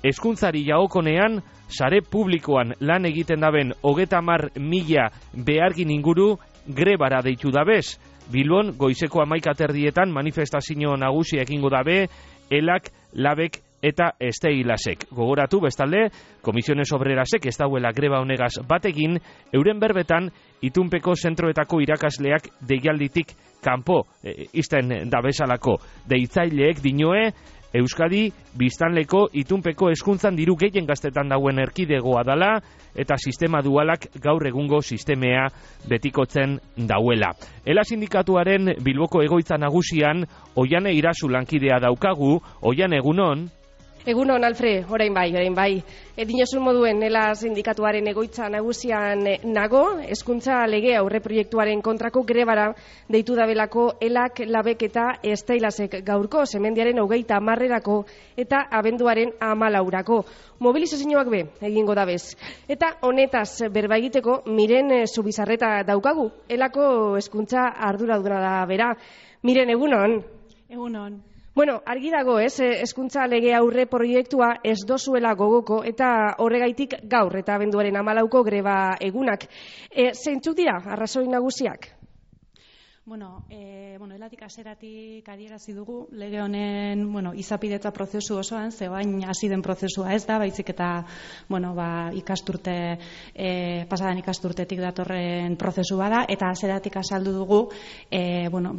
hezkuntzari jagokonean, sare publikoan lan egiten daben 30.000 behargin inguru grebara deitu dabez. Bilbon goizeko 11:00 manifestazio nagusia egingo dabe, elak, labek eta esteilasek. Gogoratu bestalde, Komisiones Obrerasek ez dauela greba honegaz batekin, euren berbetan itunpeko zentroetako irakasleak deialditik kanpo izten dabezalako. Deitzaileek dinoe, Euskadi biztanleko itunpeko hezkuntzan diru gehien gaztetan dauen erkidegoa dala eta sistema dualak gaur egungo sistemea betikotzen dauela. Ela sindikatuaren Bilboko egoitza nagusian Oiane Irazu lankidea daukagu. Oiane, egunon? Egunon, Alfred, orain bai. Dinosun moduen, ela sindikatuaren egoitza nagusian nago, hezkuntza lege aurreproiektuaren kontrako grebara deitu dabelako elak, labek eta esteilasek gaurko, semendiaren 30 eta abenduaren 14. Mobilizazioak egingo dabez. Eta honetaz berba egiteko Miren Zubizarreta daukagu, elako hezkuntza arduraduna da bera. Miren, egunon? Egunon. Bueno, argi dago, hezkuntza lege aurre proiektua ez dozuela gogoko eta horregaitik gaur eta abenduaren 14 greba egunak. Zeintzuk dira arrazoi nagusiak? Elatik haseratik adierazi dugu lege honen, izapidetza prozesu osoan, zebain hasi den prozesua ez da, baizik eta, ikasturte, pasadan ikasturtetik datorren prozesu bada, eta haseratik azaldu dugu,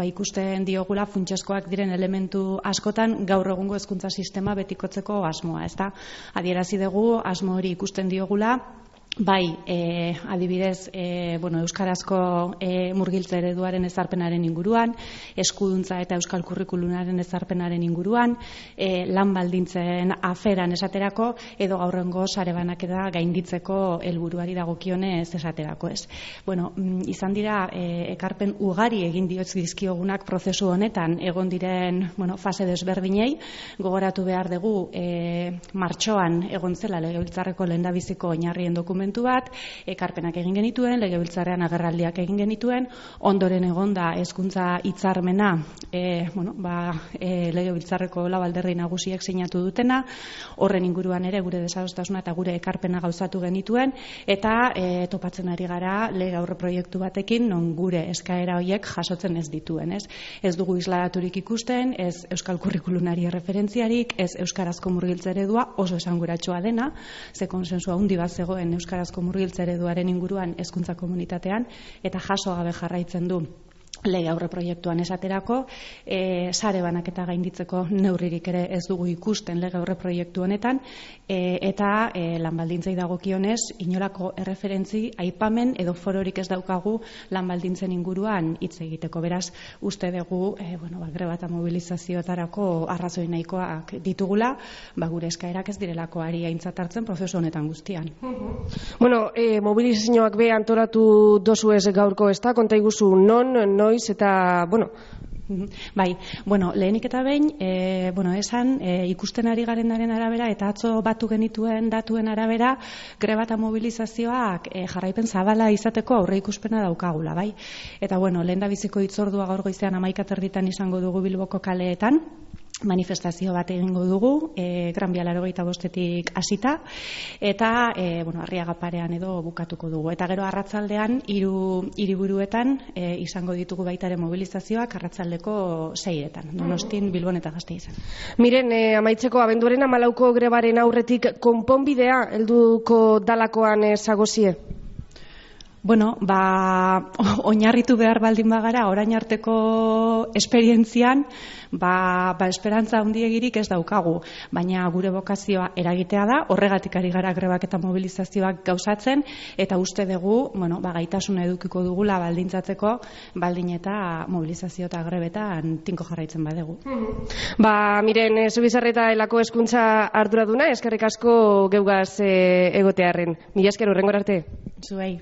ikusten diogula funtsezkoak diren elementu askotan gaur egungo hezkuntza sistema betikotzeko asmoa, ez da? Adierazi dugu, asmo hori ikusten diogula, bai, adibidez, euskarazko murgiltze ereduaren ezarpenaren inguruan, eskuduntza eta euskal kurrikulunaren ezarpenaren inguruan, lan baldintzen aferan esaterako, edo gaurrengo sare banaketa gainditzeko helburuari dagokionez esaterako, ez. Izan dira, ekarpen ugari egin dizkiogunak prozesu honetan egon diren, fase desberdinei, gogoratu behar dugu, martxoan egon zela legebiltzarreko lehendabiziko oinarrien dokumentu bat, ekarpenak egin genituen, legebiltzarrean agerraldiak egin genituen, ondoren egonda hezkuntza hitzarmena, legebiltzarreko lau alderdi nagusiek sinatu dutena, horren inguruan ere gure desadostasuna eta gure ekarpena gauzatu genituen, eta topatzen ari gara lege aurre proiektu batekin, non gure eskaera horiek jasotzen ez dituen, ez? Ez dugu isladaturik ikusten, ez euskal kurrikulunari referentziarik, ez euskarazko murgiltze eredua oso esanguratsua dena, ze konsensua handi bat zegoen euskarazko murgiltze ereduaren inguruan hezkuntza komunitatean, eta jaso gabe jarraitzen du lege aurre proiektuan esaterako, sare banaketa gainditzeko neurririk ere ez dugu ikusten lege aurre proiektu honetan, eta lan baldintzei dagokionez inolako erreferentzi aipamen edo fororik ez daukagu lan baldintzen inguruan hitz egiteko. Beraz, uste dugu greba eta mobilizazioetarako arrazoi nahikoak ditugula, gure eskaerak ez direlako ari aintzat hartzen prozesu honetan guztian. Mobilizazioak antolatu dozu ez gaurko ez da, konta iguzu noiz eta, Bai, lehenik eta behin, esan, ikusten ari garenaren arabera, eta atzo batu genituen datuen arabera, greba eta mobilizazioak jarraipen zabala izateko aurre ikuspena daukagula, bai? Eta, lehendabiziko hitzordua gaur goizean 11:30 izango dugu Bilboko kaleetan, manifestazio bat egingo dugu, Gran Via 85-etik hasita, eta Arriaga parean edo bukatuko dugu. Eta gero arratsaldean 3 hiriburuetan izango ditugu baita ere mobilizazioak arratsaldeko 6etan, Donostin, Bilbon eta Gasteizen. Miren, amaitzeko abenduaren 14 grebaren aurretik konponbidea helduko dalakoan zagozie? Oinarritu behar baldin bagara, orain arteko esperientzian, esperantza handiegirik ez daukagu, baina gure bokazioa eragitea da, horregatik ari gara grebak eta mobilizazioak gauzatzen, eta uste dugu, gaitasuna edukiko dugula baldintzatzeko, baldin eta mobilizazio eta grebetan tinko jarraitzen badegu. Miren, Zubizarreta elako hezkuntza arduraduna, eskerrik asko geugaz egotearren. Mila esker, hurrengora arte. Zuei.